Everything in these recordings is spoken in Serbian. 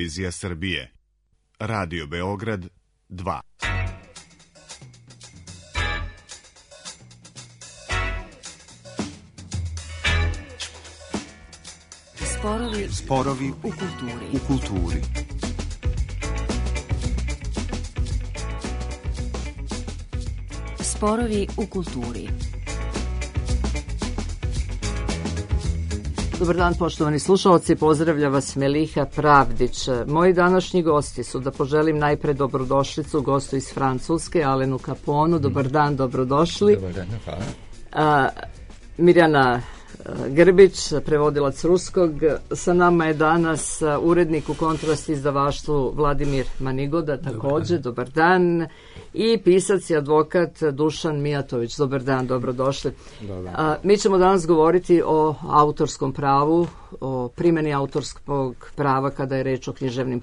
Televizija Srbije. Radio Beograd 2. Sporovi u kulturi. Sporovi u kulturi. Dobar dan, poštovani slušalci, pozdravlja vas Meliha Pravdić. Moji današnji gosti su, da poželim najpre dobrodošlicu gostu iz Francuske, Alenu Caponu. Dobar dan, dobrodošli. Dobar dan, hvala. Mirjana Grbić, prevodilac ruskog. Sa nama je danas urednik u Kontrast izdavaštvu Vladimir Manigoda, također, dobar dan. I pisac i advokat Dušan Mijatović. Dobar dan, dobrodošli. Mi ćemo danas govoriti o autorskom pravu, o primjeni autorskog prava kada je reč o književnim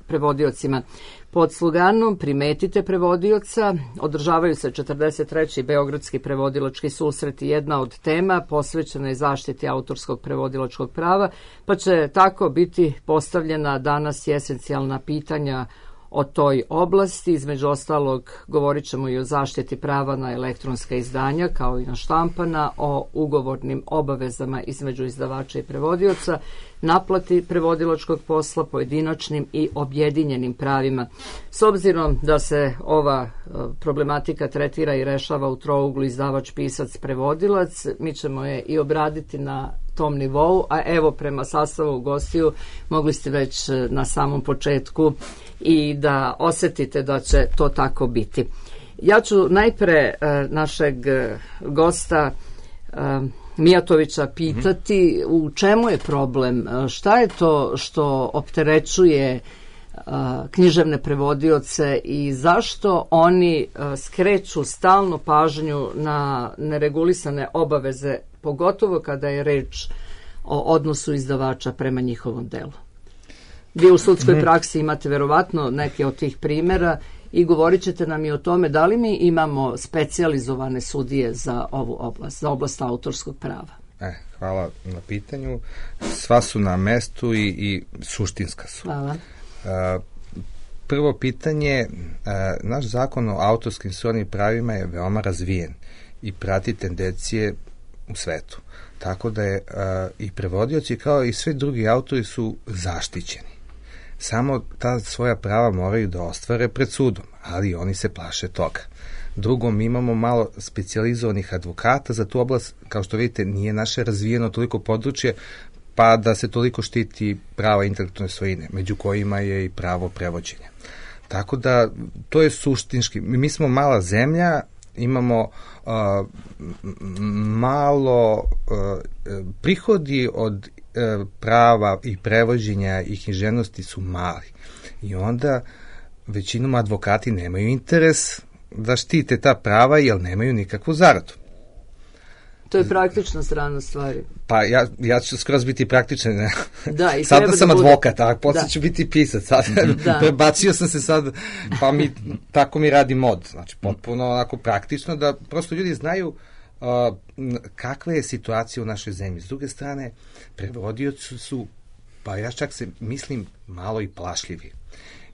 prevodiocima. Pod sloganom Primetite prevodioca održavaju se 43. Beogradski prevodilački susret i jedna od tema posvećena je zaštiti autorskog prevodilačkog prava, pa će tako biti postavljena danas i esencijalna pitanja o toj oblasti. Između ostalog govorit ćemo i o zaštiti prava na elektronska izdanja kao i na štampana, o ugovornim obavezama između izdavača i prevodioca, naplati prevodilačkog posla, pojedinačnim i objedinjenim pravima. S obzirom da se ova problematika tretira i rešava u trouglu izdavač, pisac, prevodilac, mi ćemo je i obraditi na tom nivou, a evo prema sastavu gostiju mogli ste već na samom početku i da osjetite da će to tako biti. Ja ću najpre našeg gosta Mijatovića pitati u čemu je problem, šta je to što opterećuje književne prevodioce i zašto oni skreću stalno pažnju na neregulisane obaveze, pogotovo kada je reč o odnosu izdavača prema njihovom delu. Vi u sudskoj praksi imate verovatno neke od tih primjera i govorit ćete nam i o tome da li mi imamo specijalizovane sudije za ovu oblast, za oblast autorskog prava. Hvala na pitanju. Sva su na mestu i suštinska su. Hvala. Prvo pitanje, naš zakon o autorskim srodnim pravima je veoma razvijen i prati tendencije u svetu. Tako da je i prevodioci kao i svi drugi autori su zaštićeni. Samo ta svoja prava moraju da ostvare pred sudom, ali oni se plaše toga. Drugo, mi imamo malo specijalizovanih advokata za tu oblast, kao što vidite, nije naše razvijeno toliko područje, pa da se toliko štiti prava intelektualne svojine, među kojima je i pravo prevođenja. Tako da, to je suštinski. Mi smo mala zemlja, imamo malo prihodi od prava i prevođenja i književnosti su mali. I onda većinom advokati nemaju interes da štite ta prava jer nemaju nikakvu zaradu. To je praktična strana stvari. Pa ja ću skroz biti praktičan. Da, i sada sam advokat, a posle ću biti pisac. Prebacio sam se sad, pa tako mi radi mod. Znači, potpuno onako praktično da prosto ljudi znaju kakva je situacija u našoj zemlji. S druge strane, prevodioci su, pa ja čak se mislim, malo i plašljivi.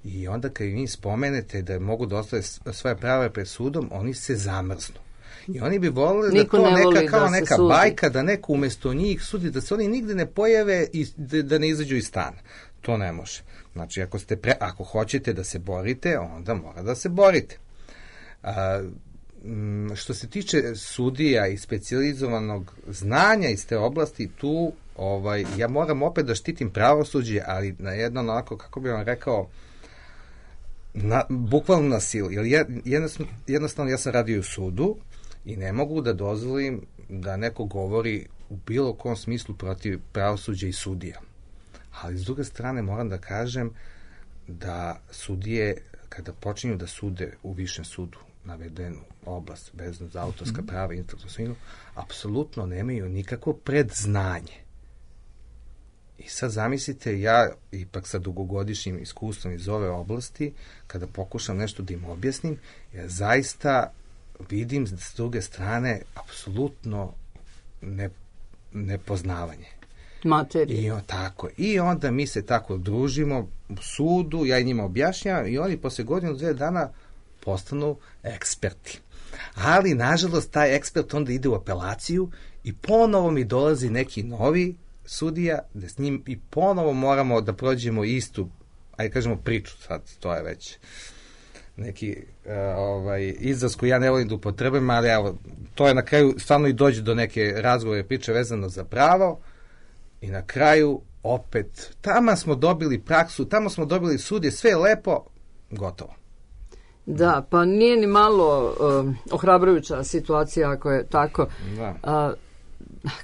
I onda kad vi spomenete da mogu da ostave svoje prava pred sudom, oni se zamrznu. I oni bi volili da to neka bajka, da neko umesto njih sudi, da se oni nigde ne pojave i da ne izađu iz stana. To ne može. Znači, ako hoćete da se borite, onda mora da se borite. Što se tiče sudija i specijalizovanog znanja iz te oblasti, tu ja moram opet da štitim pravosuđe, ali na jedno onako, kako bih vam rekao, bukvalno na silu. Jednostavno, ja sam radio u sudu i ne mogu da dozvolim da neko govori u bilo kom smislu protiv pravosuđa i sudija. Ali s druge strane moram da kažem da sudije, kada počinju da sude u višem sudu navedenu oblast vezano za autorska prava i intelektualnu svojinu, apsolutno nemaju nikakvo predznanje. I sad zamislite, ja ipak sa dugogodišnjim iskustvom iz ove oblasti, kada pokušam nešto da im objasnim, ja zaista vidim s druge strane apsolutno nepoznavanje. materije. I onda mi se tako družimo u sudu, ja i njima objašnjavam i oni posle godinu, 2 dana postanu eksperti. Ali, nažalost, taj ekspert onda ide u apelaciju i ponovo mi dolazi neki novi sudija, da s njim i ponovo moramo da prođemo istu, ajde kažemo priču, sad to je već neki izraz koji ja ne volim da upotrebujem, ali evo, to je na kraju stvarno i dođe do neke razgovore priče vezano za pravo i na kraju opet, tamo smo dobili praksu, tamo smo dobili sudje, sve je lepo, gotovo. Da, pa nije ni malo ohrabrujuća situacija ako je tako. Da.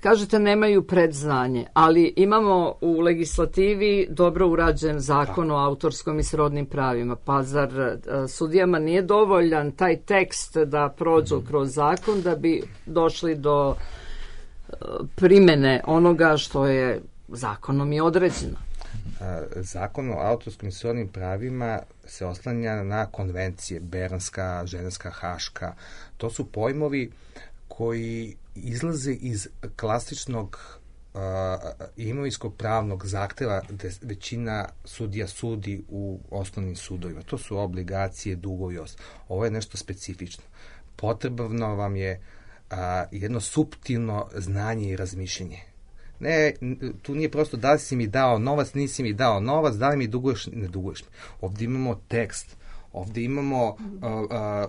Kažete nemaju predznanje, ali imamo u legislativi dobro urađen zakon o autorskom i srodnim pravima. Pa zar sudijama nije dovoljan taj tekst da prođu kroz zakon da bi došli do primene onoga što je zakonom i određeno? Zakon o autorskim i srodnim pravima se oslanja na konvencije, Bernska, Ženevska, Haška. To su pojmovi koji izlaze iz klasičnog imovinsko-pravnog zahteva gde većina sudija sudi u osnovnim sudovima. To su obligacije, dugovi i ostalo. Ovo je nešto specifično. Potrebno vam je jedno suptilno znanje i razmišljenje. Ne, tu nije prosto da li si mi dao novac, nisi mi dao novac, da li mi duguješ, ne duguješ mi. Ovdje imamo tekst, ovdje imamo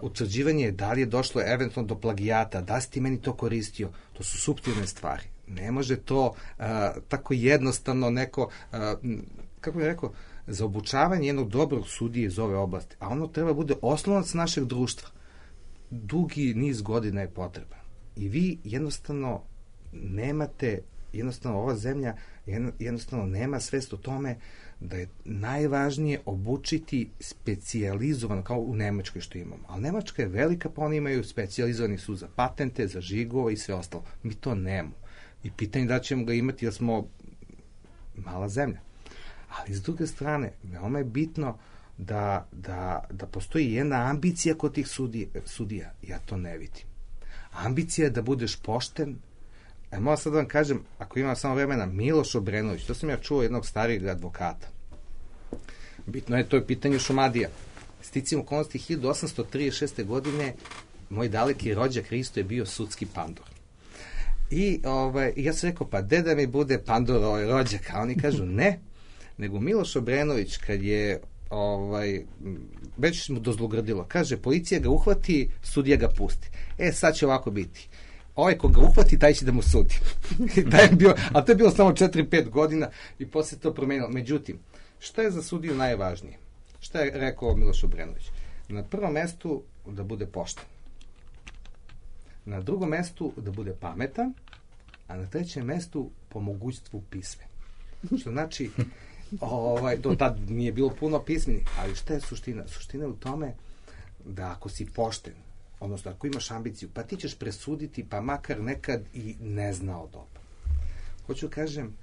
utvrđivanje da li je došlo eventualno do plagijata, da si ti meni to koristio. To su suptilne stvari. Ne može to tako jednostavno neko, kako bih rekao, za obučavanje jednog dobrog sudije iz ove oblasti. A ono treba bude oslonac našeg društva. Dugi niz godina je potreban. I vi jednostavno nemate, jednostavno ova zemlja jednostavno nema svest o tome da je najvažnije obučiti specijalizovano, kao u Nemačkoj što imamo. Ali Nemačka je velika, pa oni imaju specijalizovani sud za patente, za žigove i sve ostalo. Mi to nemamo. I pitanje da ćemo ga imati jer smo mala zemlja. Ali s druge strane, veoma je bitno da postoji jedna ambicija kod tih sudija. Ja to ne vidim. Ambicija je da budeš pošten. Moram sad da vam kažem, ako imam samo vremena, Miloš Obrenović, to sam ja čuo jednog starijeg advokata. Bitno je, to je pitanje Šumadija. Sticam okolnosti 1836. godine moj daleki rođak Hristo je bio sudski pandor. I ja sam rekao, pa da mi bude pandor rođak? A oni kažu ne, nego Miloš Obrenović kad je već mu dozlogrdilo, kaže, policija ga uhvati, sudija ga pusti. Sad će ovako biti. Ovaj ko ga uhvati, taj će da mu sudi. A to je bilo samo 4-5 godina i posle to promenilo. Međutim, šta je za sudiju najvažnije? Šta je rekao Miloš Obrenović? Na prvom mestu da bude pošten. Na drugom mestu da bude pametan, a na trećem mestu po mogućstvu pismen. Što znači, do tad nije bilo puno pismeni, ali šta je suština? Suština je u tome da ako si pošten, odnosno ako imaš ambiciju, pa ti ćeš presuditi, pa makar nekad i ne znao dobro. Hoću kažem,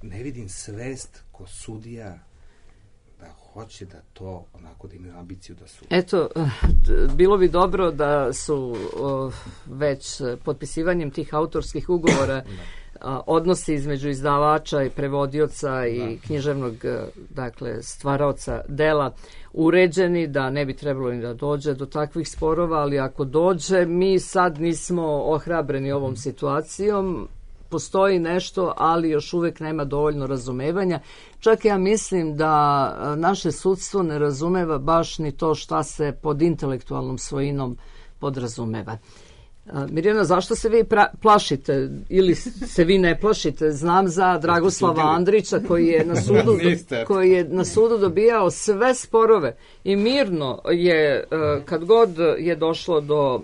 ne vidim svest ko sudija da hoće da to onako da imaju ambiciju da sudi. Eto, bilo bi dobro da su već potpisivanjem tih autorskih ugovora odnosi između izdavača i prevodioca i književnog, dakle, stvaraoca dela uređeni, da ne bi trebalo ni da dođe do takvih sporova, ali ako dođe, mi sad nismo ohrabreni ovom situacijom, postoji nešto, ali još uvek nema dovoljno razumevanja. Čak ja mislim da naše sudstvo ne razumeva baš ni to šta se pod intelektualnom svojinom podrazumeva. Mirjana, zašto se vi plašite ili se vi ne plašite? Znam za Dragoslava Andrića koji je na sudu dobijao sve sporove i mirno je, kad god je došlo do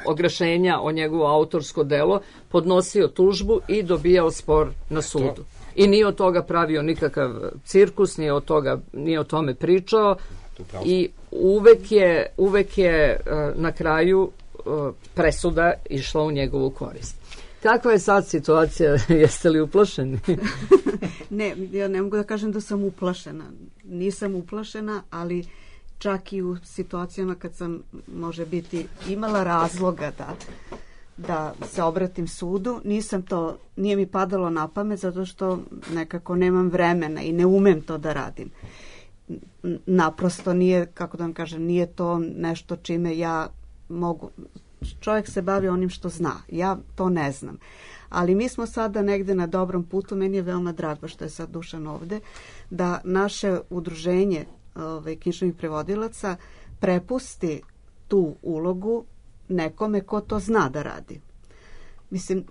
ogrešenja o njegovo autorsko delo, podnosio tužbu i dobijao spor na sudu. I nije od toga pravio nikakav cirkus, nije o tome pričao i uvek je na kraju presuda išla u njegovu korist. Kakva je sad situacija? Jeste li uplašeni? Ne, ja ne mogu da kažem da sam uplašena. Nisam uplašena, ali čak i u situacijama kad sam, može biti, imala razloga da se obratim sudu. Nije mi padalo na pamet zato što nekako nemam vremena i ne umem to da radim. Naprosto nije, kako da vam kažem, nije to nešto čime ja mogu. Čovjek se bavi onim što zna. Ja to ne znam. Ali mi smo sada negde na dobrom putu. Meni je veoma drago što je sad Dušan ovde, da naše udruženje književnih prevodilaca prepusti tu ulogu nekome ko to zna da radi. Mislim,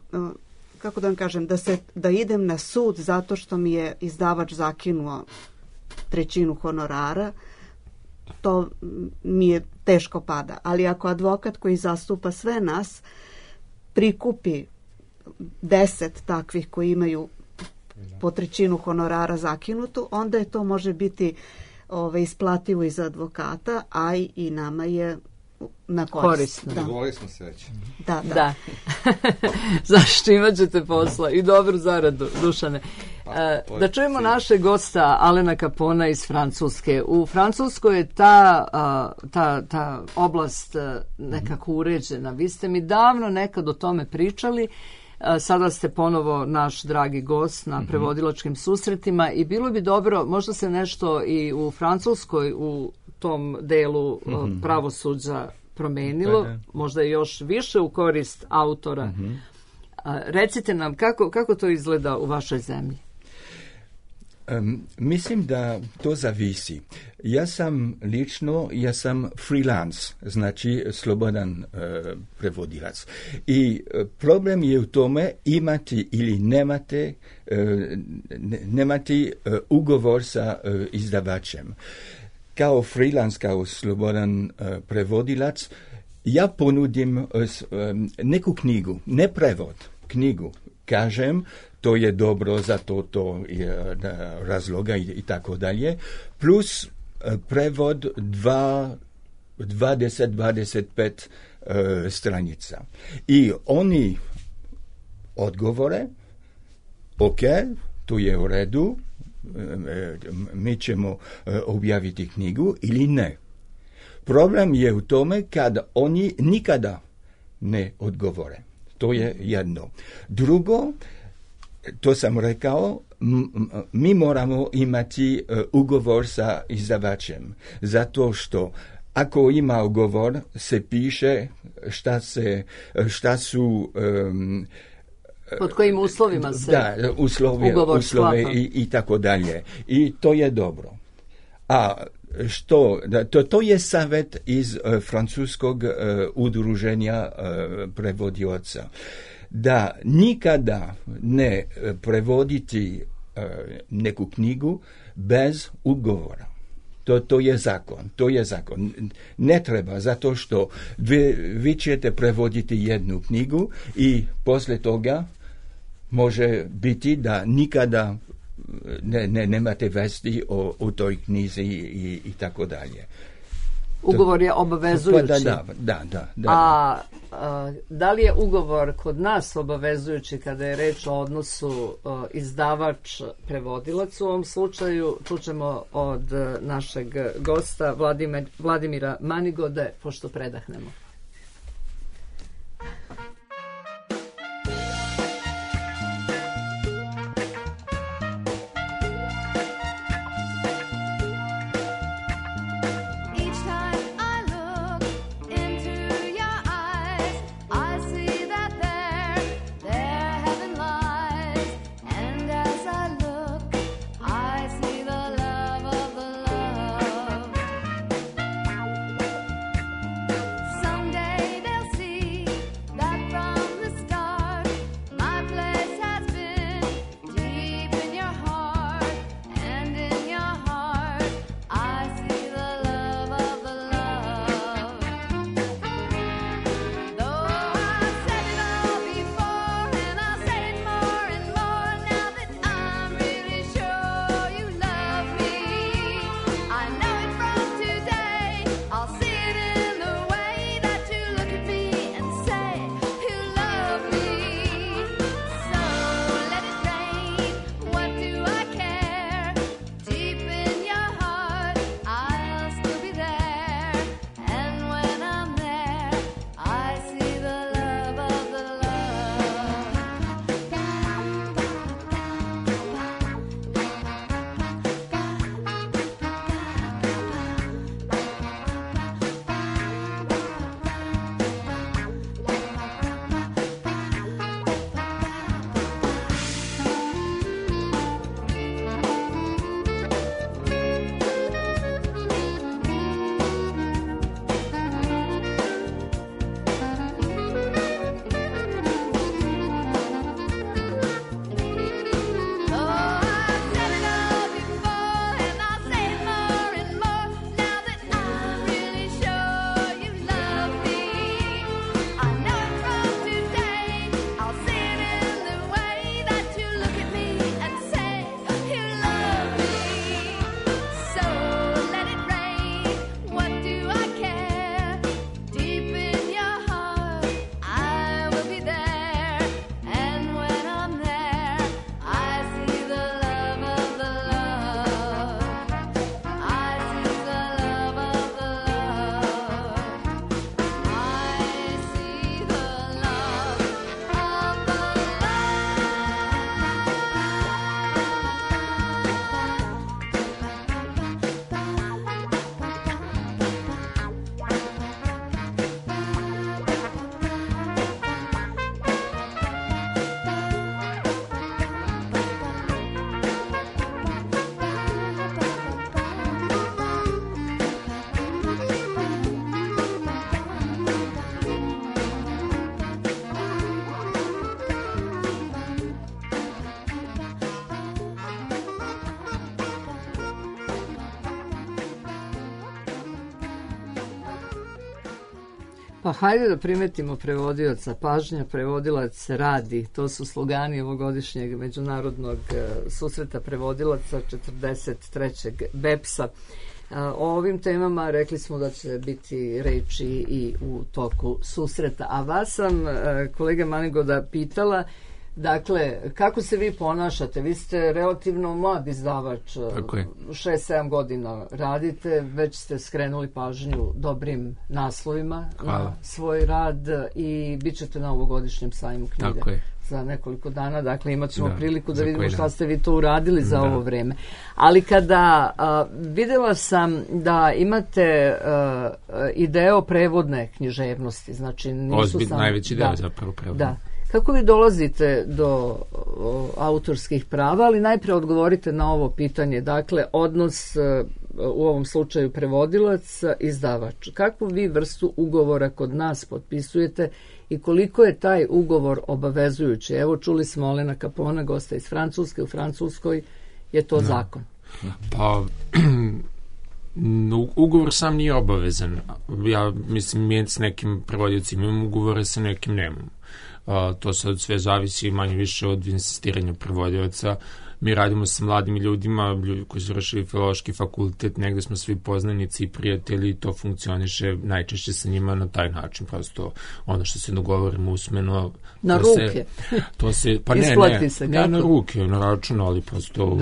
kako da vam kažem, da idem na sud zato što mi je izdavač zakinuo 1/3 honorara, to mi je teško pada. Ali ako advokat koji zastupa sve nas prikupi 10 takvih koji imaju po 1/3 honorara zakinutu, onda je to može biti isplativo i za advokata, a i nama je na korist. Dogovorili smo se već. Da. Zašto imat ćete posla i dobru zaradu, Dušane. Da čujemo našeg gosta Alena Capona iz Francuske. U Francuskoj je ta oblast nekako uređena. Vi ste mi davno nekad o tome pričali. Sada ste ponovo naš dragi gost na prevodilačkim susretima i bilo bi dobro, možda se nešto i u Francuskoj u tom delu pravosuđa promenilo, možda još više u korist autora. Recite nam kako to izgleda u vašoj zemlji? Mislim da to zavisi. Ja sam freelance, znači slobodan prevodilac. I problem je u tome imati ili nemati ugovor sa izdavačem. Kao freelance, kao slobodan prevodilac, ja ponudim neku knjigu, ne prevod, knjigu. Kažem, to je dobro za to je razloga i tako dalje, plus prevod 20-25 stranica. I oni odgovore, ok, to je u redu, mi ćemo objaviti knjigu ili ne. Problem je u tome kad oni nikada ne odgovore. To je jedno. Drugo, to sam rekao, mi moramo imati ugovor sa izdavačem, zato što ako ima ugovor, se piše šta su pod kojim uslovima se ugovor uslove i tako dalje. I to je dobro. A to je savjet iz francuskog udruženja prevodioca. Da nikada ne prevoditi neku knjigu bez ugovora. To je zakon. Ne treba, zato što vi ćete prevoditi jednu knjigu i poslije toga može biti da nikada nemate vesti o toj knjizi i tako dalje. Ugovor je obavezujući. Da. A da li je ugovor kod nas obavezujući kada je reč o odnosu izdavač-prevodilac? U ovom slučaju čućemo od našeg gosta Vladimira Manigode, pošto predahnemo. Some Pa hajde da primetimo prevodioca. Pažnja, prevodilac radi. To su slogani ovogodišnjeg međunarodnog susreta prevodilaca 43. BEPS-a. O ovim temama rekli smo da će biti reči i u toku susreta. A vas sam, kolega Manigoda, pitala, dakle, kako se vi ponašate? Vi ste relativno mlad izdavač, 6-7 godina radite, već ste skrenuli pažnju dobrim naslovima na svoj rad i bit ćete na ovogodišnjem sajmu knjige za nekoliko dana, dakle imat ćemo priliku da vidimo šta ste vi to uradili za ovo vreme. Ali kada videla sam da imate i deo prevodne književnosti, znači nisu samo... Najveći deo zapravo prevodne. Da. Kako vi dolazite do autorskih prava, ali najpre odgovorite na ovo pitanje, dakle, odnos u ovom slučaju prevodilac, izdavač. Kakvu vi vrstu ugovora kod nas potpisujete i koliko je taj ugovor obavezujući? Evo, čuli smo Olena Capona, gosta iz Francuske, u Francuskoj je to zakon. Pa... Ugovor sam nije obavezan. Ja mislim, mi s nekim prevodicima imam ugovore, sa nekim nemam. To sad sve zavisi manje više od insistiranja prevodilaca. Mi radimo sa mladim ljudima, ljudi koji su završili filološki fakultet, negde smo svi poznanici i prijatelji, to funkcioniše najčešće sa njima na taj način, prosto ono što se dogovorimo usmeno. Na ruke. Pa ne na ruke, na račun, ali prosto...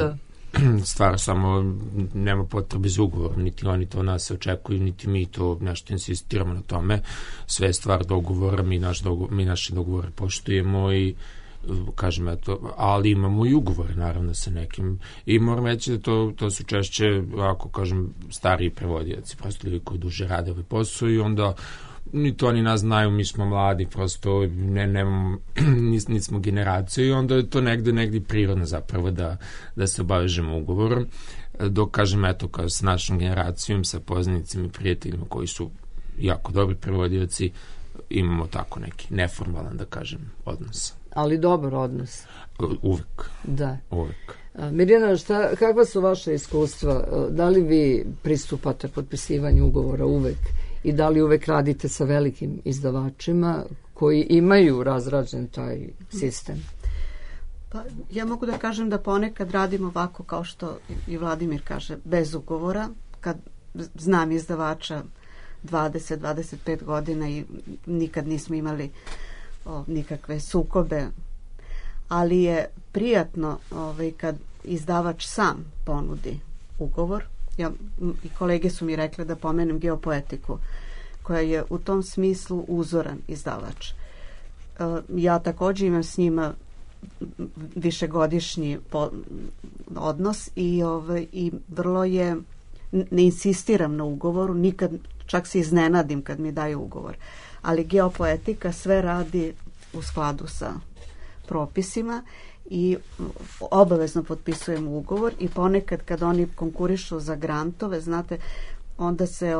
stvar samo nema potrebe za ugovor, niti oni to nas očekuju, niti mi to nešto insistiramo na tome. Sve je stvar dogovora, mi naše dogovore poštujemo i kažem, eto, ali imamo i ugovore naravno sa nekim i moram reći da to su češće, ako kažem, stariji prevodioci, prosto ljudi koji duže rade ovaj posao i onda ni to ni nas znaju, mi smo mladi, prosto nismo generacija i onda je to negde prirodno zapravo da se obavežemo ugovorom. Dok kažem, eto, kao s našom generacijom, sa poznanicima i prijateljima koji su jako dobri prevodioci, imamo tako neki neformalan, da kažem, odnos. Ali dobar odnos. Uvek. Da. Uvek. Mirjana, kakva su vaše iskustva? Da li vi pristupate potpisivanju ugovora uvek i da li uvek radite sa velikim izdavačima koji imaju razrađen taj sistem? Pa, ja mogu da kažem da ponekad radim ovako kao što i Vladimir kaže, bez ugovora, kad znam izdavača 20-25 godina i nikad nismo imali nikakve sukobe, ali je prijatno kad izdavač sam ponudi ugovor. I kolege su mi rekle da pomenem Geopoetiku, koja je u tom smislu uzoran izdavač. Ja također imam s njima višegodišnji odnos i vrlo je, ne insistiram na ugovoru, nikad, čak se iznenadim kad mi daju ugovor, ali Geopoetika sve radi u skladu sa propisima i obavezno potpisujemo ugovor i ponekad kad oni konkurišu za grantove, znate, onda se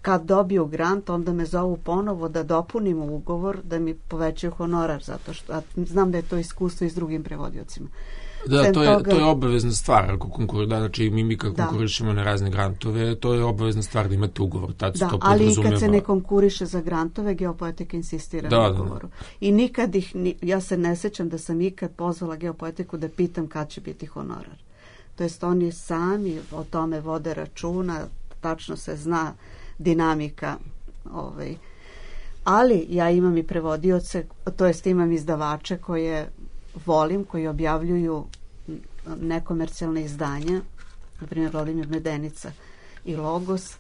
kad dobiju grant, onda me zovu ponovo da dopunimo ugovor, da mi povećaju honorar, zato što znam da je to iskustvo i s drugim prevodiocima. Da, to je obavezna stvar, ako znači mi kad konkurišemo na razne grantove, to je obavezna stvar da imate ugovor, tad se to podrazumeva. Ali i kad se ne konkuriše za grantove, Geopoetika insistira na ugovoru. I nikad ja se ne sećam da sam ikad pozvala Geopoetiku da pitam kad će biti honorar. To jest oni sami o tome vode računa, tačno se zna dinamika. Ali ja imam i prevodioce, to jest imam izdavače koje volim, koji objavljuju nekomercijalne izdanja, na primjer Vladimir Medenica i Logos,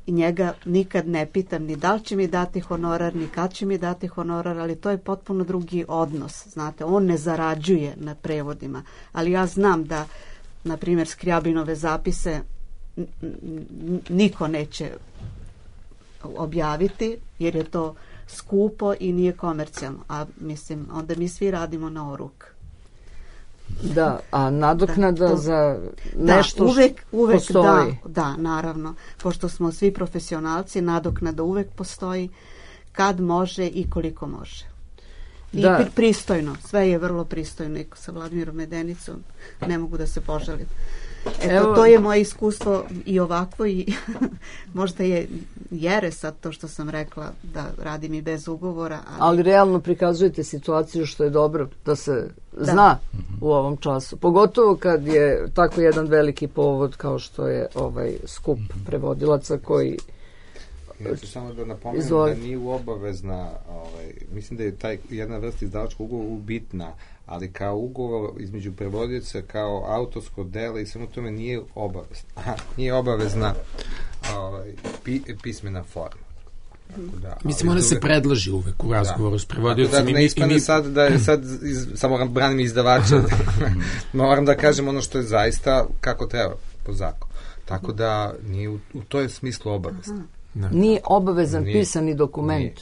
i njega nikad ne pitam ni da li će mi dati honorar, ni kad će mi dati honorar, ali to je potpuno drugi odnos, znate, on ne zarađuje na prevodima, ali ja znam da, na primjer, Skrjabinove zapise niko neće objaviti, jer je to skupo i nije komercijalno, a mislim, onda mi svi radimo na oruk. Da, a nadoknada za nešto uvek postoji. Da, naravno, pošto smo svi profesionalci, nadoknada uvek postoji, kad može i koliko može. I pristojno, sve je vrlo pristojno, i sa Vladimirom Medenicom ne mogu da se požalim. Eto, to je moje iskustvo i ovakvo i možda je jere sad to što sam rekla da radim i bez ugovora. Ali realno prikazujete situaciju što je dobro da se zna u ovom času. Pogotovo kad je tako jedan veliki povod kao što je ovaj skup prevodilaca koji... Ja ću samo da napomenem da nije obavezna, mislim da je taj jedna vrsta izdavačkog ugovora bitna, ali kao ugovor između prevodioca, kao autorsko delo i samo tome nije obavezna pismena forma. Mislim, ona se predloži uvek u razgovoru s prevodiocem. Ne ispane sad da je sad samo branim izdavača. Moram da kažem ono što je zaista kako treba po zakonu. Tako da nije u toj smislu obavezno. Nije obavezan pisani dokument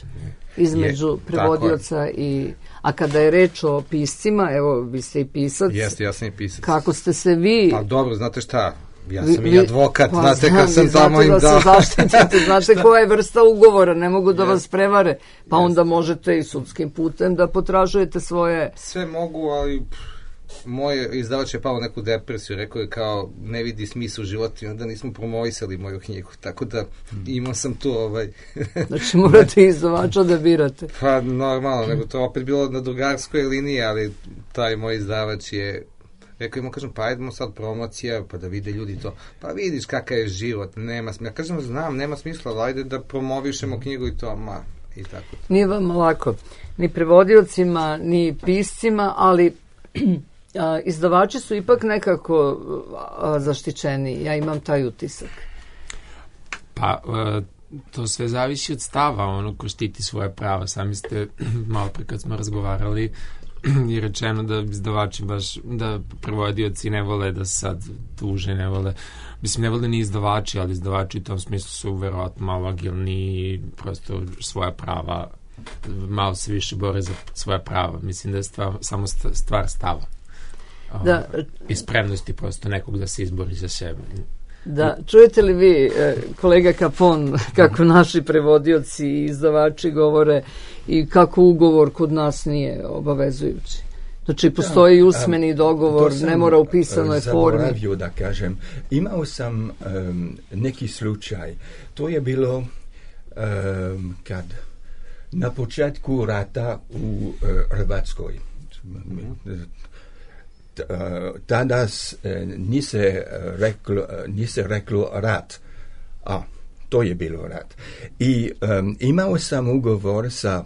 između prevodioca i... A kada je reč o piscima, evo, vi ste i pisac. Jeste, ja sam i pisac. Kako ste se vi... Pa dobro, znate šta, ja sam i advokat, znate kad sam tamo im dao... Znate da se zaštitite, znate koja je vrsta ugovora, ne mogu da vas prevare, pa onda možete i sudskim putem da potražujete svoje... Sve mogu, ali... Moj izdavač je pao neku depresiju, rekao je kao ne vidi smisla u životu i onda nismo promovisali moju knjigu, tako da imao sam tu Znači morate izdavača da birate. Pa normalno, nego to opet bilo na drugarskoj liniji, ali taj moj izdavač je rekao ima, kažem, pa ajdemo sad promocija, pa da vide ljudi to, pa vidiš kakav je život, nema smisla, ja kažem, znam, nema smisla, ali ajde da promovišemo knjigu i to, i tako. Nije vam lako, ni prevodiocima, ni piscima, ali... izdavači su ipak nekako zaštićeni, ja imam taj utisak. Pa, to sve zavisi od stava, ono ko štiti svoje prava. Sami ste, malo pre kad smo razgovarali, je rečeno da izdavači baš, da prevodioci ne vole da sad tuže, ne vole ni izdavači, ali izdavači u tom smislu su verovatno malo agilni i prosto svoja prava, malo se više bore za svoja prava. Mislim da je samo stvar stava. I spremnosti prosto nekog da se izbori za sebe. Da, čujete li vi, kolega Capon, kako naši prevodioci i izdavači govore i kako ugovor kod nas nije obavezujući? Znači, postoji usmeni dogovor, ne mora u pisanoj formi. Zaboravio da kažem, imao sam neki slučaj. To je bilo kad na početku rata u Hrvatskoj. Tada nise reklo rat, a to je bilo rat. I imao sam ugovor sa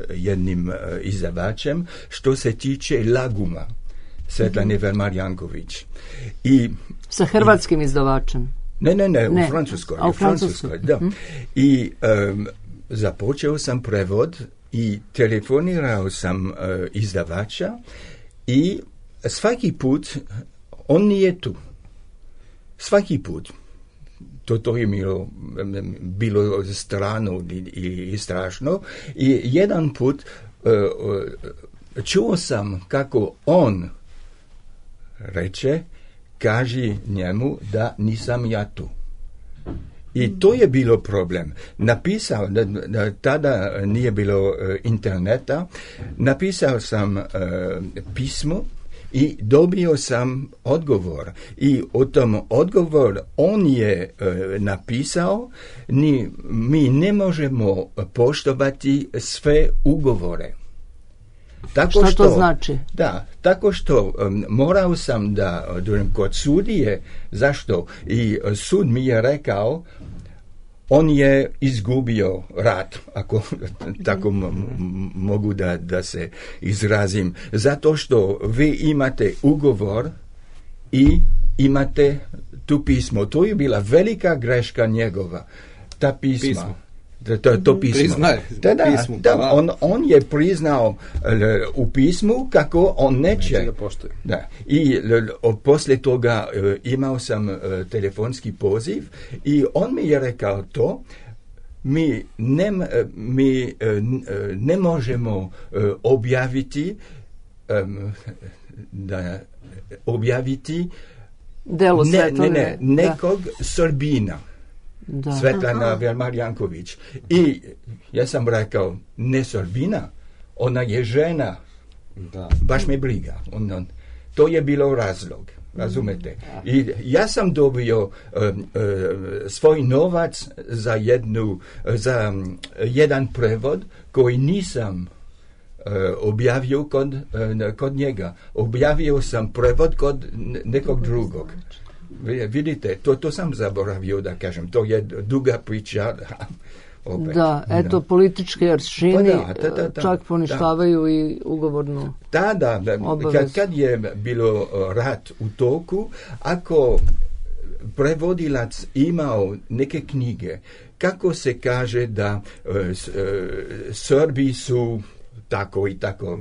jednim izdavačem što se tiče Laguma, Svetlane Velmarjanković. Sa hrvatskim izdavačem? Ne, u Francuskoj. A u Francuskoj, da. I započeo sam prevod i telefonirao sam izdavača i svaki put on nije tu. Svaki put. To je bilo strano i strašno. I jedan put čuo sam kako on reče, kaži njemu da nisam ja tu. I to je bilo problem. Napisao, tada nije bilo interneta, napisao sam pismo i dobio sam odgovor. I o tom odgovor on je napisao, mi ne možemo poštovati sve ugovore. Šta to znači? Da, tako što morao sam da kod sudije, zašto? I sud mi je rekao, on je izgubio rat, ako tako mogu da se izrazim, zato što vi imate ugovor i imate tu pismo. To je bila velika greška njegova, ta pisma. To pismo. On je priznao u pismu kako on neće. Da. I poslije toga imao sam telefonski poziv i on mi je rekao to. Mi ne možemo objaviti delo Svetlane nekog Srbina. Svetlana Velmarjanković. I ja sam rekao, ne Srbina, ona je žena. Baš me briga. To je bilo razlog. razumete? I ja sam dobio svoj novac za jedan prevod koji nisam objavio kod njega. Objavio sam prevod kod nekog drugog. Vidite, to sam zaboravio da kažem. To je duga priča. Opet. Da, eto, politički aršini čak poništavaju i ugovornu obavezu. Kad je bilo rat u toku, ako prevodilac imao neke knjige, kako se kaže da Srbi su tako i tako,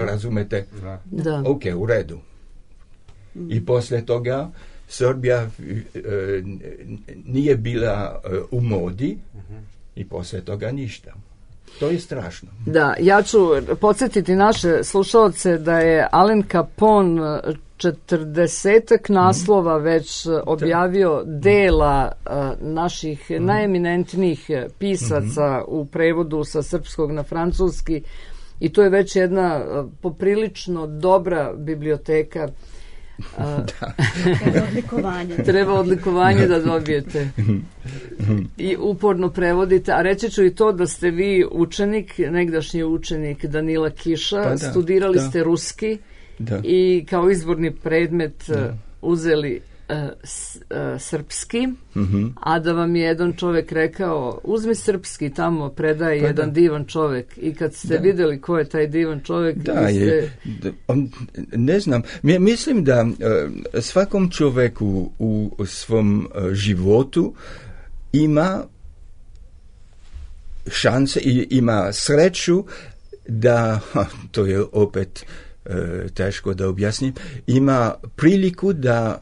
razumete? Da. Ok, u redu. I poslije toga Srbija nije bila u modi i poslije toga ništa. To je strašno. Da, ja ću podsjetiti naše slušalce da je Alen Capone 40 naslova već objavio dela naših najeminentnijih pisaca u prevodu sa srpskog na francuski i to je već jedna poprilično dobra biblioteka. Treba odlikovanje da dobijete i uporno prevodite, a reći ću i to da ste vi učenik, negdašnji učenik Danila Kiša, studirali ste ruski i kao izborni predmet uzeli srpski, a da vam je jedan čovjek rekao uzmi srpski, tamo predaje jedan divan čovjek i kad ste vidjeli ko je taj divan čovjek ne znam, mislim da svakom čovjeku u svom životu ima šanse i ima sreću da, to je opet teško da objasnim, ima priliku da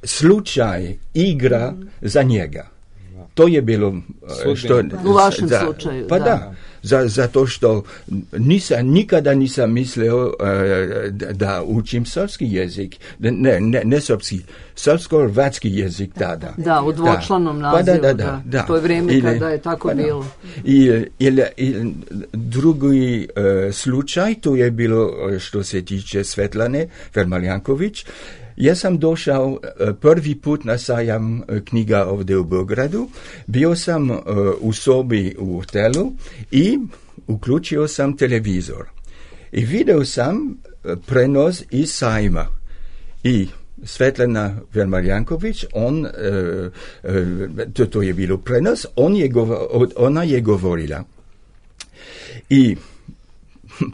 slučaj igra za njega. To je bilo u vašem slučaju. Pa da. Zato što nikada nisam mislio da učim srpski jezik. Ne srpski, srpsko-hrvatski jezik tada. Da, u dvočlanom nazivu. Da. To je vrijeme kada je tako bilo. I drugi slučaj, to je bilo što se tiče Svetlane Vermaljanković. Ja sam došao prvi put na sajam knjiga ovdje u Beogradu. Bio sam u sobi u hotelu i uključio sam televizor. I vidio sam prenos iz sajma. I Svetlana Vermaljanković, to je bilo prenos, ona je govorila. I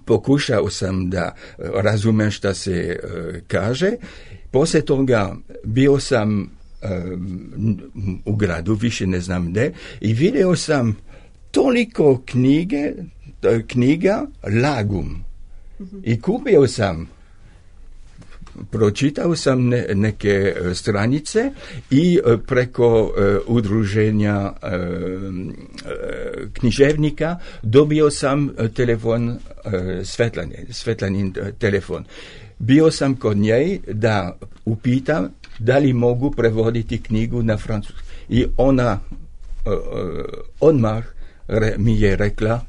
pokušao sam da razumem šta se kaže. Poslije toga bio sam u gradu, više ne znam gdje, i vidio sam toliko knjiga Lagum. I kupio sam, pročitao sam neke stranice i preko udruženja književnika dobio sam telefon Svetlanin telefon. Bio sam kod nje da upitam da li mogu prevoditi knjigu na francuski. I ona odmah mi je rekla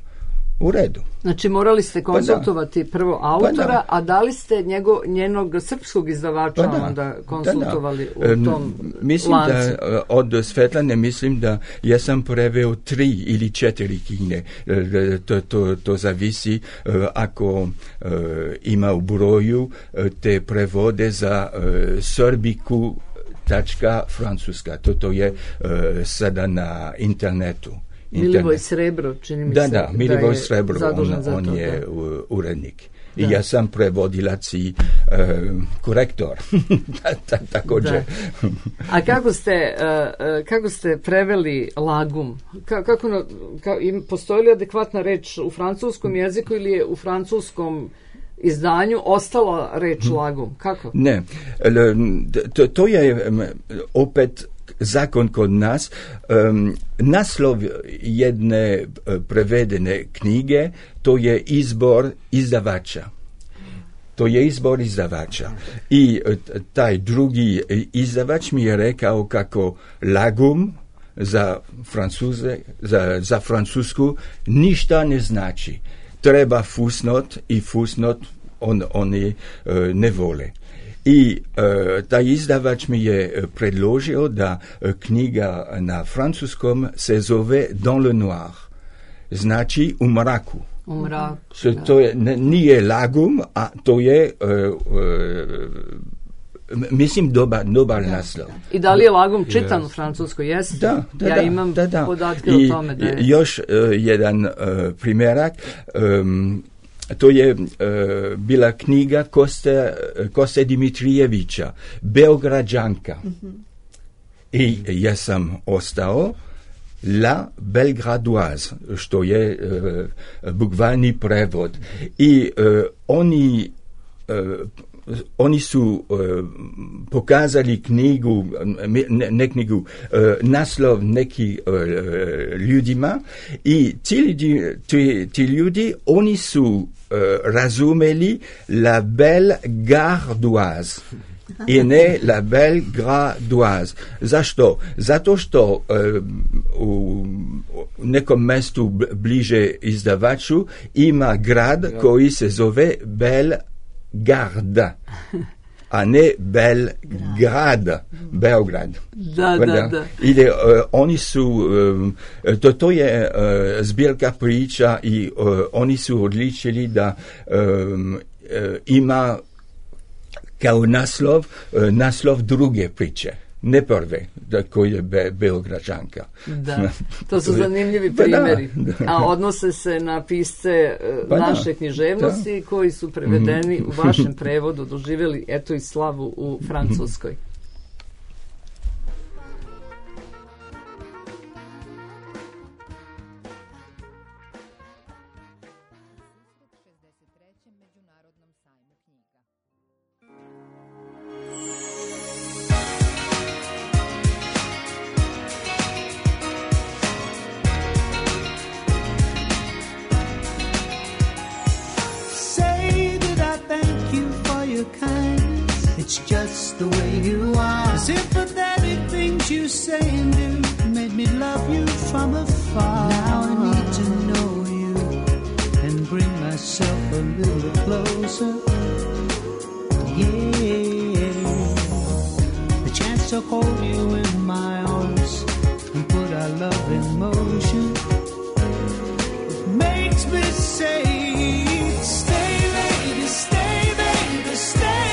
u redu. Znači morali ste konsultovati prvo autora, a da li ste njenog srpskog izdavača onda konsultovali u tom mislim lancu? Da od Svetlane mislim da ja sam preveo 3 ili 4 knjige. To zavisi ako ima u broju te prevode za srbiku.francuska. To je sada na internetu. Milivoj Srebro, čini mi se. Da, Milivoj Srebro, on je urednik. I ja sam prevodilac i korektor. Također. A kako ste preveli Lagum? Postoji li adekvatna reč u francuskom jeziku ili je u francuskom izdanju ostala reč Lagum? Kako? Ne, to je opet zakon kod nas. Naslov jedne prevedene knjige, to je izbor izdavača. I taj drugi izdavač mi je rekao kako Lagum za Francusku ništa ne znači. Treba fusnot i fusnot oni ne vole. I taj izdavač mi je predložio da knjiga na francuskom se zove Dans le noir, znači u mraku. U mraku. To je, nije lagum, a to je mislim dobar naslov. I da li je lagum čitan u Francuskoj? Jesi? Da. Ja imam podatke o tome da je. Još jedan primjerak. To je bila knjiga Koste Dimitrijevića, Beograđanka. I ja sam ostao La Belgradoise, što je bukvalni prevod. I oni su pokazali knjigu, ne knjigu, naslov neki ljudima i ti ljudi, oni su razumeli La Belgardoise i ne La Belgradoise. Zašto? Zato što u nekom mestu bliže izdavaču ima grad koji se zove Belgarda, a ne Belgrad, Beograd. Da. Ili oni su, to je zbirka priča i oni su odličili da ima kao naslov druge priče, ne prve, koji je Beograđanka. Da, to su zanimljivi primjeri. Da. A odnose se na pisce naše književnosti koji su prevedeni u vašem prevodu, doživjeli eto i slavu u Francuskoj. It's just the way you are. Sympathetic things you say and do made me love you from afar. Now I need to know you and bring myself a little closer. Yeah, the chance to hold you in my arms and put our love in motion. It makes me say, stay, lady, stay, baby, stay.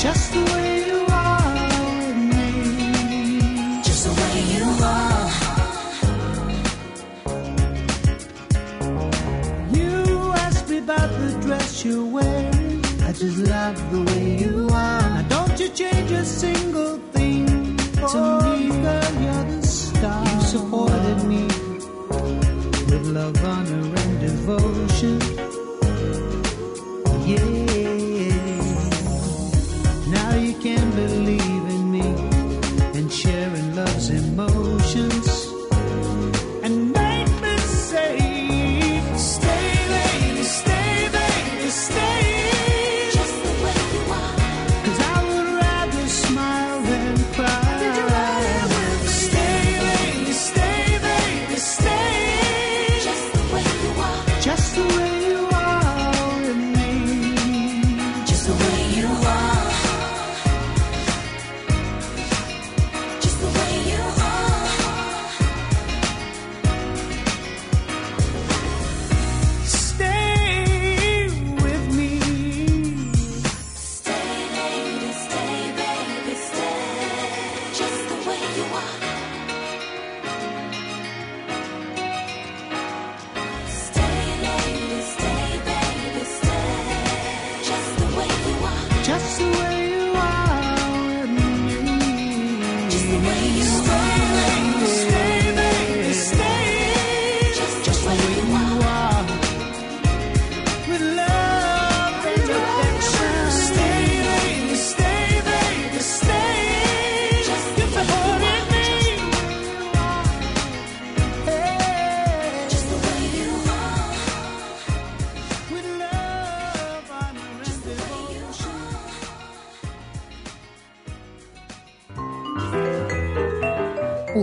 Just the way you are with me. Just the way you are. You asked me about the dress you're wearing. I just love the way you are. Now don't you change a single thing to me, girl, you're the star. You supported me with love, honor, and devotion. Yeah. Now you can believe in me and sharing love's emotions and make me say, stay, lady, stay, baby, stay. Just the way you are. 'Cause I would rather smile than cry. Did you rather stay, lady, stay, baby, stay. Just the way you are.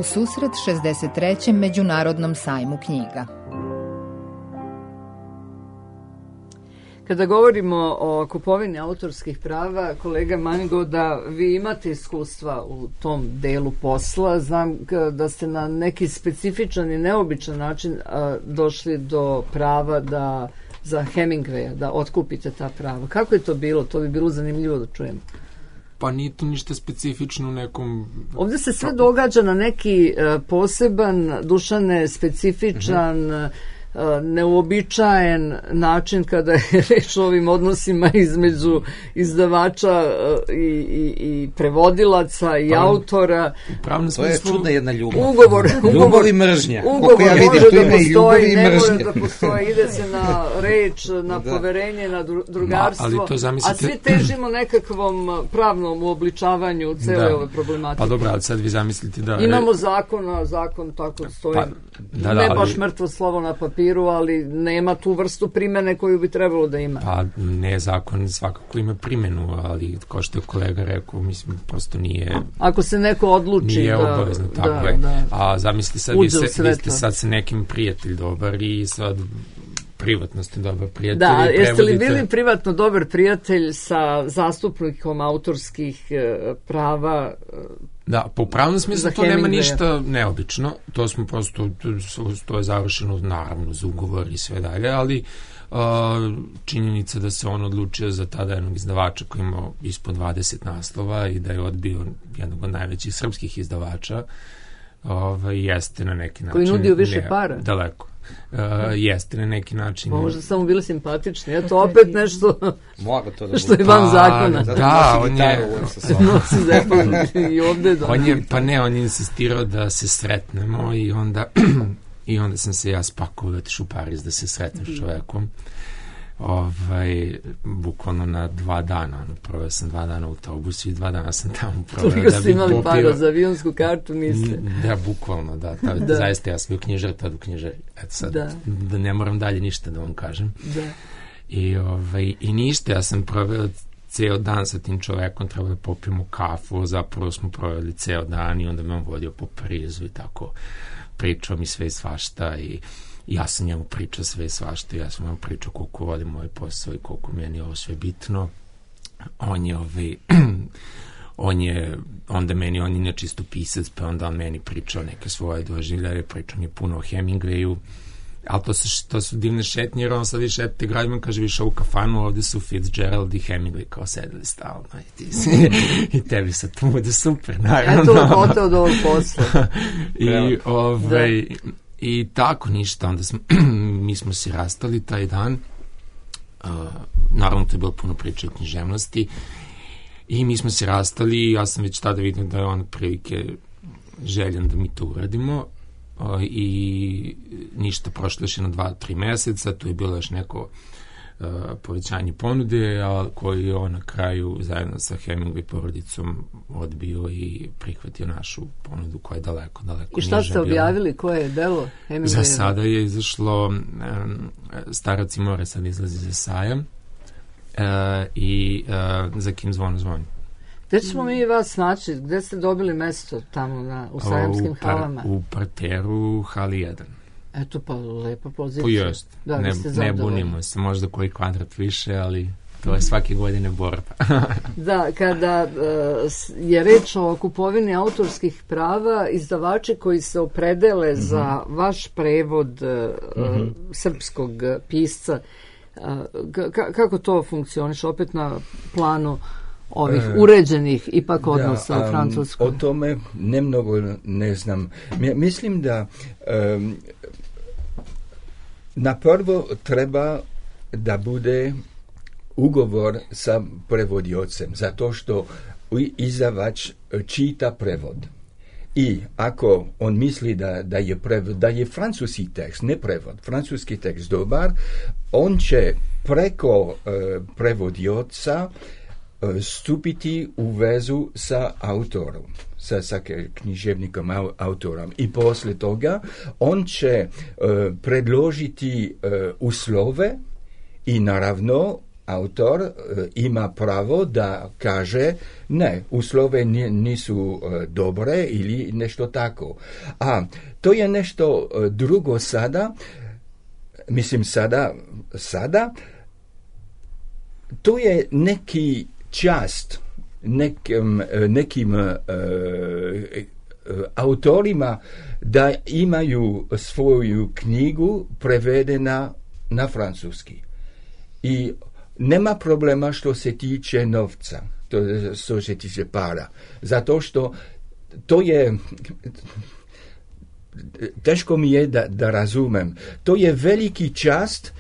u susret 63. Međunarodnom sajmu knjiga. Kada govorimo o kupovini autorskih prava, kolega Manigoda, vi imate iskustva u tom delu posla. Znam da ste na neki specifičan i neobičan način došli do prava da za Hemingwaya, da otkupite ta prava. Kako je to bilo? To bi bilo zanimljivo da čujemo. Pa nije to ništa specifično u nekom... Ovdje se sve događa na neki poseban, Dušane, specifičan, neuobičajen način kada je reč o ovim odnosima između izdavača i prevodilaca i autora. To je čudna jedna ljubav. Ljubav i mržnja. Ugovor može da postoji, ne mora da postoji. Ide se na reč, na poverenje, na drugarstvo, a svi težimo nekakvom pravnom uobličavanju cele ove problematike. Pa dobro, ali sad vi zamislite da... Imamo zakon tako stoji. Ne baš mrtvo slovo na papiru, ali nema tu vrstu primene koju bi trebalo da ima. Pa ne, zakon svakako ima primjenu, ali kao što je kolega rekao, mislim, prosto nije... Ako se neko odluči nije obavezno, tako je. A zamisli sad, vi ste sad sa nekim prijatelj dobar i sad privatno ste dobar prijatelj. Da, jeste li bili privatno dobar prijatelj sa zastupnikom autorskih prava? Da, po pravnom smislu to nema ništa neobično, to smo prosto, to je završeno naravno za ugovor i sve dalje, ali činjenica da se on odlučio za tada jednog izdavača koji imao ispod 20 naslova i da je odbio jednog od najvećih srpskih izdavača, jeste na neki način... Koji nudio više para? Daleko. Jeste na neki način... Možda samo bili simpatični, eto opet nešto što je van zakona. Da, on je... Nosi zepan i ovde... On je insistirao da se sretnemo i onda sam se ja spakovao otišao u Pariz da se sretnem s čovekom. Bukvalno na 2 dana. Proveo sam 2 dana u autobusu i 2 dana sam tamo proveo. Toliko ste imali para za avionsku kartu, niste? Da, bukvalno, da. Zaista ja sam bio knjižar, tad u knjižari. Eto sad, da ne moram dalje ništa da vam kažem. Da. I ništa, ja sam proveo ceo dan sa tim čovekom, trebao da popijemo kafu, zapravo smo proveli ceo dan i onda me on vodio po Parizu i tako pričao mi sve i svašta i ja sam njemu pričao sve i svašta, ja sam njemu pričao koliko volim moj posao i koliko meni ovo sve bitno. On je nečisto pisac, pa onda on meni pričao neke svoje doživljaje, pričao mi puno o Hemingwayu, ali to su divne šetnje, jer on sad više šetite gradima, kaže više u kafanu, ovde su Fitzgerald i Hemingway kao sedeli stalno i tebi sad to bude super, naravno. Eto lepote od ovog posla. I tako ništa, onda mi smo se rastali taj dan, naravno to je bilo puno priče o književnosti i mi smo se rastali i ja sam već tada vidio da je on prilike željan da mi to uradimo i ništa, prošlo još 2-3 meseca, tu je bilo još neko povećanje ponude, a koji je on na kraju zajedno sa Hemingway porodicom odbio i prihvatio našu ponudu koja je daleko I šta ste objavili? Koje je delo Hemingway? Za sada je izašlo Starac i more, sad izlazi za sajam i Za kim zvono zvoni. Gde ćemo mi vas naći? Gde ste dobili mesto tamo u sajamskim halama? U parteru hali 1. Eto pa lepa pozicija. Pojest. Ne bunimo se, možda koji kvadrat više, ali to je svake godine borba. Da, kada je reč o kupovini autorskih prava, izdavači koji se opredele za vaš prevod srpskog pisca, kako to funkcioniše opet na planu ovih uređenih ipak odnosa u Francuskoj? O tome nemnogo ne znam. Mislim da na prvo treba da bude ugovor sa prevodiocem, zato što izdavač čita prevod. I ako on misli da je francuski tekst, ne prevod, francuski tekst dobar, on će preko prevodioca stupiti u vezu sa autorom, sa književnikom autorom. I posle toga on će predložiti uslove i naravno autor ima pravo da kaže ne, uslove nisu dobre ili nešto tako. A to je nešto drugo sada, mislim sada, to je neki čast nekim autorima da imaju svoju knjigu prevedena na francuski. I nema problema što se tiče novca, što se tiče para. Zato što to je, teško mi je da razumem, to je veliki čast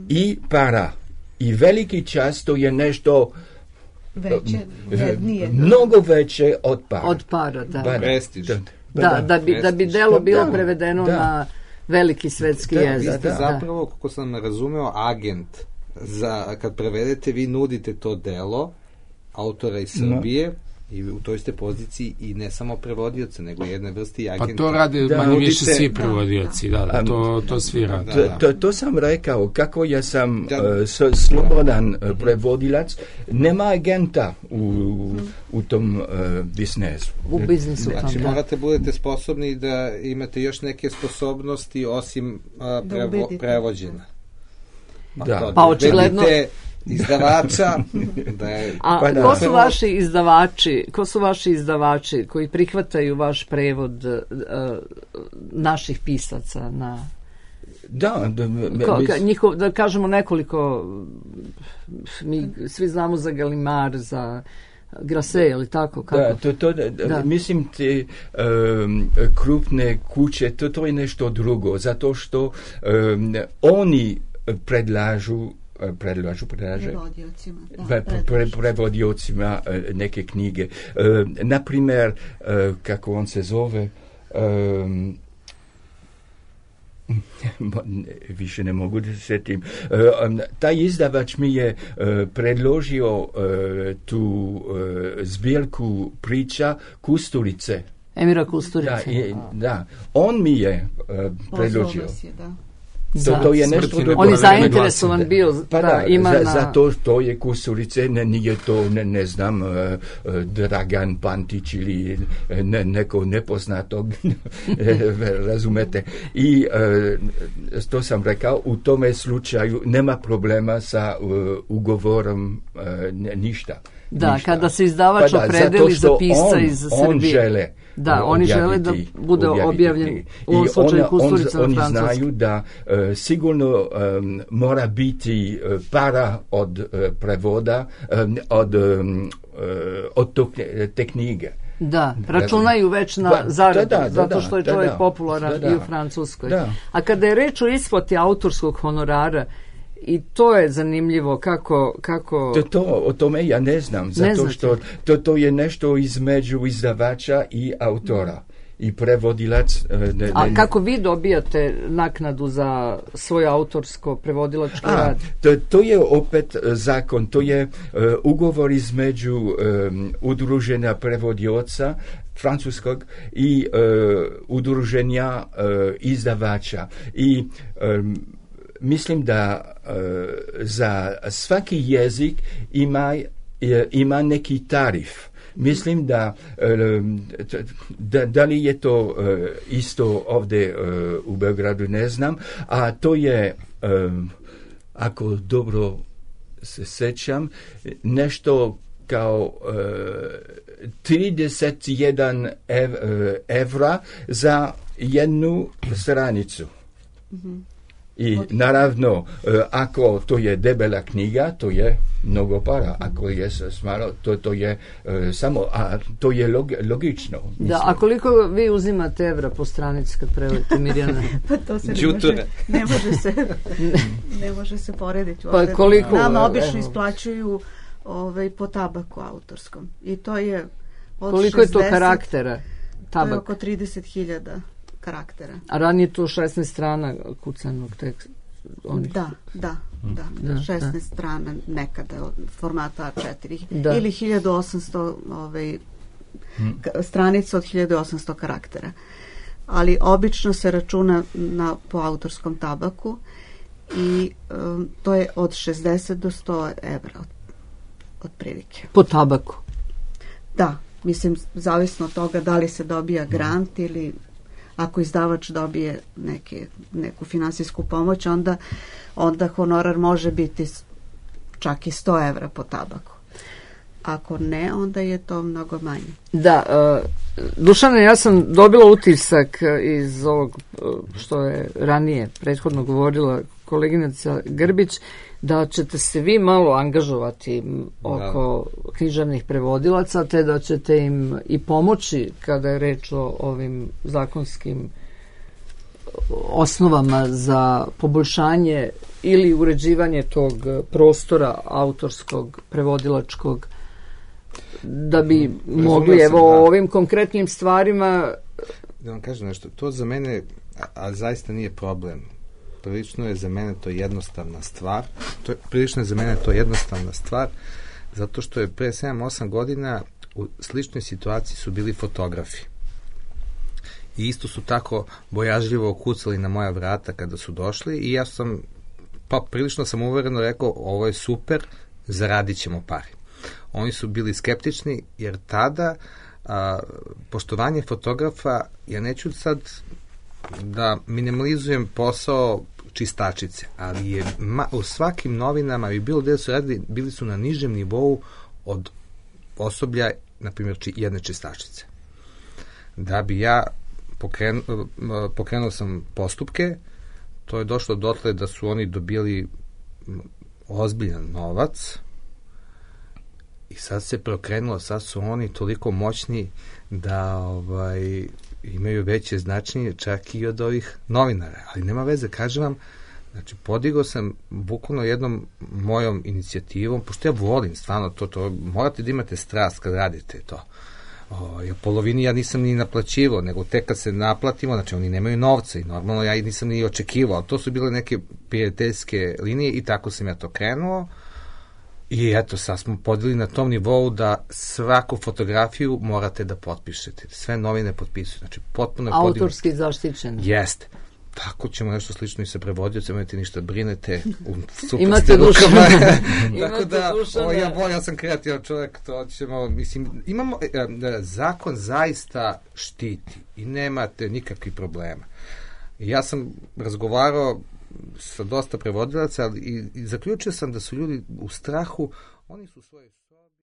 i para. I veliki čast to je nešto veće, vrednije. Mnogo veće od para. Od para, da. Prestiž. Da bi delo bilo prevedeno na veliki svetski jezik. Vi ste zapravo, kako sam razumeo, agent. Kad prevedete, vi nudite to delo autora iz Srbije i u toj ste poziciji i ne samo prevodioca, nego jedne vrste agenta. Pa to rade manje više svi prevodioci, to svi rade. To sam rekao, kako ja sam slobodan prevodilac, nema agenta u tom biznesu. U biznisu. Znači, morate budete sposobni da imate još neke sposobnosti osim prevođenja. Pa očigledno izdavača ko su vaši izdavači koji prihvataju vaš prevod naših pisaca na da kažemo nekoliko, mi svi znamo za Galimar, za Grasset, ili tako? Kako? Mislim te krupne kuće, to je nešto drugo, zato što oni predlažu prevodiocima neke knjige. Naprimjer, kako on se zove, više ne mogu da se sjetim. Taj izdavač mi je predložio tu zbirku priča Kusturice. Emira Kusturice. Da, on mi je predložio. To je nešto drugo. On je zainteresovan bio. Zato to je Kusturice, nije to, ne znam, Dragan Pantić ili neko nepoznatog, razumete. I to sam rekao, u tome slučaju nema problema sa ugovorom ništa. Da, kada se izdavač opredeli za pisca iz Srbije. On žele. Da, oni žele da bude objavljen u ovom slučaju Kusturica na francuskom. Oni znaju da sigurno mora biti para od prevoda, od te knjige. Da, računaju već na zaradu, zato što je čovjek popularan i u Francuskoj. A kada je reč o isplati autorskog honorara, i to je zanimljivo kako... O tome ja ne znam, zato što to je nešto između izdavača i autora. I prevodilac... A kako vi dobijate naknadu za svoj autorsko prevodilački rad? To je opet zakon, to je ugovor između udruženja prevodioca francuskog i udruženja izdavača. I mislim da za svaki jezik ima neki tarif. Mislim da li je to isto ovdje u Beogradu, ne znam, a to je, ako dobro se sjećam, nešto kao 31 evra za jednu stranicu. I naravno, ako to je debela knjiga, to je mnogo para. Ako je smalo, to je samo, a to je logično. Mislim. Da, a koliko vi uzimate evra po stranici kad prevodite, Mirjana? Pa to se ne može se porediti. Pa koliko? Nama obično isplaćuju po tabaku autorskom. I to je od koliko 60, je to karaktera tabak? To je oko 30.000 karaktera. A ranije to 16 strana kucanog teksta? Da, 16 strana nekada formata A4 ili 1800 stranica od 1800 karaktera. Ali obično se računa po autorskom tabaku i to je od 60 do 100 evra otprilike. Po tabaku? Da, mislim, zavisno od toga da li se dobija grant ili ako izdavač dobije neku finansijsku pomoć, onda honorar može biti čak i 100 evra po tabaku. Ako ne, onda je to mnogo manje. Da, Dušane, ja sam dobila utisak iz ovog što je ranije prethodno govorila koleginica Grbić, da ćete se vi malo angažovati oko književnih prevodilaca, te da ćete im i pomoći kada je reč o ovim zakonskim osnovama za poboljšanje ili uređivanje tog prostora autorskog, prevodilačkog, da bi mogli, evo, o ovim konkretnim stvarima. Da vam kažem nešto, to za mene, a zaista nije problem, prilično je za mene to jednostavna stvar, zato što je pre 7-8 godina u sličnoj situaciji su bili fotografi. I isto su tako bojažljivo kucali na moja vrata kada su došli i ja sam, prilično sam uvereno rekao, ovo je super, zaradit ćemo pari. Oni su bili skeptični, jer tada poštovanje fotografa, ja neću sad da minimalizujem posao čistačice, ali je u svakim novinama i bilo gde su radili, bili su na nižem nivou od osoblja, na primjer, jedne čistačice. Da bi ja pokrenuo sam postupke, to je došlo dotle da su oni dobili ozbiljan novac i sad se prokrenulo, sad su oni toliko moćni da imaju veće značenje čak i od ovih novinara, ali nema veze, kažem vam, znači podigao sam bukvalno jednom mojom inicijativom, pošto ja volim stvarno to morate da imate strast kad radite to. U polovini ja nisam ni naplaćivao, nego tek kad se naplatimo, znači oni nemaju novca i normalno ja nisam ni očekivao, ali to su bile neke prijateljske linije i tako sam ja to krenuo. I eto, sad smo podijeli na tom nivou da svaku fotografiju morate da potpišete. Sve novine potpisuju. Znači, potpuno je podignuto. Autorski zaštićen. Jeste. Tako ćemo nešto slično i sa prevodiocem, imate ništa, brinete. Imate Dušana. Tako da, ja sam kreativan čovjek, to ćemo, mislim, imamo, zakon zaista štiti i nemate nikakvih problema. Ja sam razgovarao sa dosta prevodilaca, ali i zaključio sam da su ljudi u strahu, oni su svoje